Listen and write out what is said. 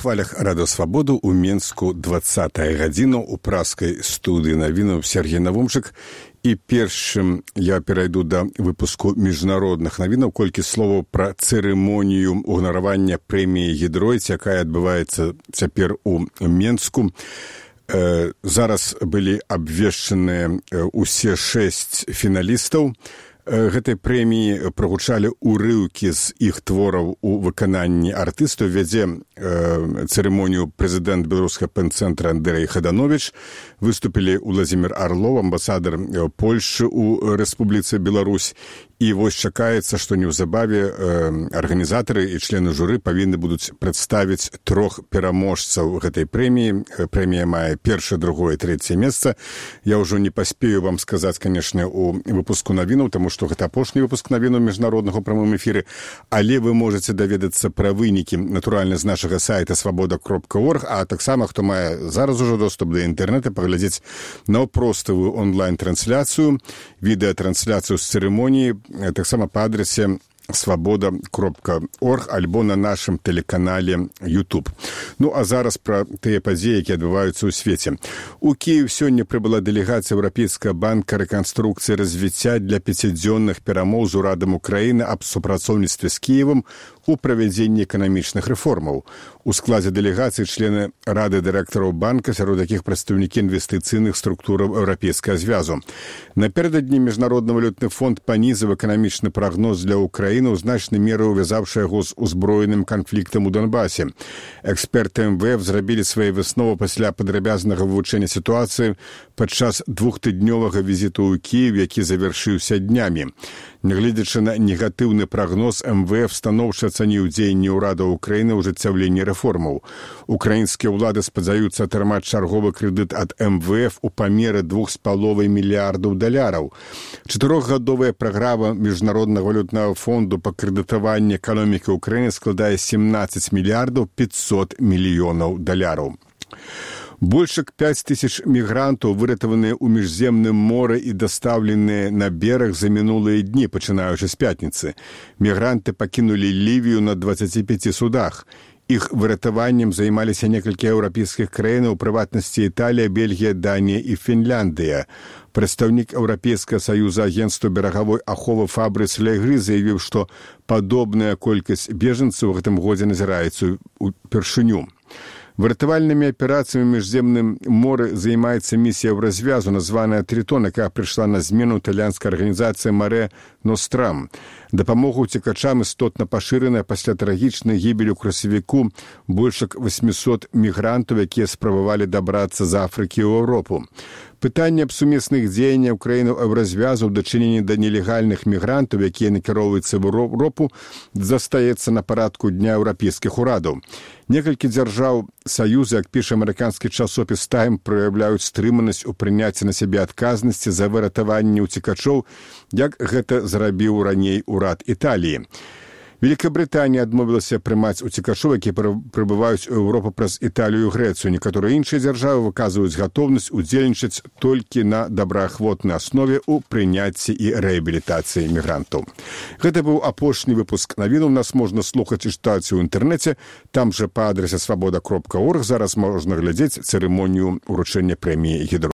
хвалях радыёвабоду ў Менску 20-я гадзіна ў праскай студыі навінаў Сергей Навумчык. І першым я перайду да выпуску міжнародных навінаў, колькі словаў пра цырымонію ўганаравання прэміі «Гідройць», якая адбываецца цяпер у Менску. Зараз былі абвешчаныя ўсе 6 фіналістаў. Гэтай прэміі прагучалі ўрыўкі з іх твораў у выкананні артыстаў. Вядзе цырымонію прэзідэнт беларускага пэн-цэнтра Андрэй Хадановіч. Выступілі Уладзімір Арлоў, амбасадар Польшы ў Рэспубліцы Беларусь. І вось чакаецца, што неўзабаве арганізатары і члены журы павінны будуць прадставіць 3 пераможцаў гэтай прэміі. Прэмія мае першае, другое, трэцяе месца. Я ўжо не паспею вам сказаць, канешне, у выпуску навінаў, таму што гэта апошні выпуск навінаў міжнароднага ў прамым эфіры, але вы можаце даведацца пра вынікі, натуральна, з нашага сайта свабода.орг, а таксама, хто мае зараз ужо доступ да інтэрнэта, паглядзець наўпроставую онлайн-трансляцыю, відэатрансляцыю з цырымоніі, таксама па адрасе свабода.орг альбо на нашым тэлеканале YouTube. Ну, а зараз пра тыя падзеі, якія адбываюцца ў свеце. У Кіев сёння прыбыла дэлегацыя Еўрапейскага банка рэканструкцыі і развіцця для 5-дзённых перамоў з урадам Украіны аб супрацоўніцтве з Кіевам у правядзенні эканамічных рэформаў. У складзе дэлегацыі члены Рады дырэктараў банка, сярод якіх прадстаўнікі інвестыцыйных структураў Еўрапейскага звязу. Напярэдадні Міжнародны валютны фонд панізіў эканамічны прагноз для Украіны, у значнай меры увязаўшы яго з узброеным канфліктам у Донбасе. Эксперты МВФ зрабілі свае высновы пасля падрабязнага вывучэння сітуацыі падчас 2-тыднёвага візіту ў Кіев, які завяршыўся днямі. Нягледзячы на негатыўны прагноз, МВФ станоўча ацаніў дзеянні ўрада Украіны ў ажыццяўленні рэформаў. Украінскія ўлады спадзяюцца атрымаць чарговы крэдыт ад МВФ у памеры $2,5 мільярдаў. 4-гадовая праграма Міжнароднага валютнага фонду па крэдытаванні эканомікі Украіны складае $17 мільярдаў 500 мільёнаў. Больш як 5000 мігрантаў выратаваныя ў міжземным моры і дастаўленыя на бераг за мінулыя дні, пачынаючы з пятніцы. Мігранты пакінулі Лівію на 25 судах. Іх выратаваннем займаліся некалькі еўрапейскіх краін, у прыватнасці Італія, Бельгія, Данія і Фінляндыя. Прадстаўнік Еўрапейскага саюза агенцтва берагавой аховы Фабрыц Легры заявіў, што падобная колькасць бежанцаў у гэтым годзе назіраецца ўпершыню. Выратавальнымі аперацыямі ў міжземным моры займаецца місія Еўразвязу, названая «Тритон», якая прыйшла на змену італьянскай арганізацыі «Маре Нострам». Дапамога ўцекачам істотна пашыраная пасля трагічнай гібелі ў красавіку больш як 800 мігрантаў, якія спрабавалі дабрацца з Афрыкі ў Еўропу. Пытанне аб сумесных дзеяннях краінаў Еўразвязу ў дачыненні да нелегальных мігрантаў, якія накіроўваюцца в Еўропу, застаецца на парадку дня еўрапейскіх урадаў. Некалькі дзяржаў Саюза, як піша амерыканскі часопіс «Тайм», праяўляюць стрыманасць у прыняцці на сябе адказнасці за выратаванне ўцекачоў, як гэта зрабіў раней урад Італіі. Великабрытанія адмовілася прымаць уцекачоў, якія прыбываюць у Еўропу праз Італію і Грэцыю. Некаторыя іншыя дзяржавы выказваюць гатоўнасць удзельнічаць толькі на добраахвотнай аснове ў прыняцці і рэабілітацыі мігрантаў. Гэта быў апошні выпуск навінаў. Нас можна слухаць і чытаць у інтэрнэце. Там жа па адрасе свабода.орг зараз можна глядзець цырымонію ўручэння прэміі «Гідройць».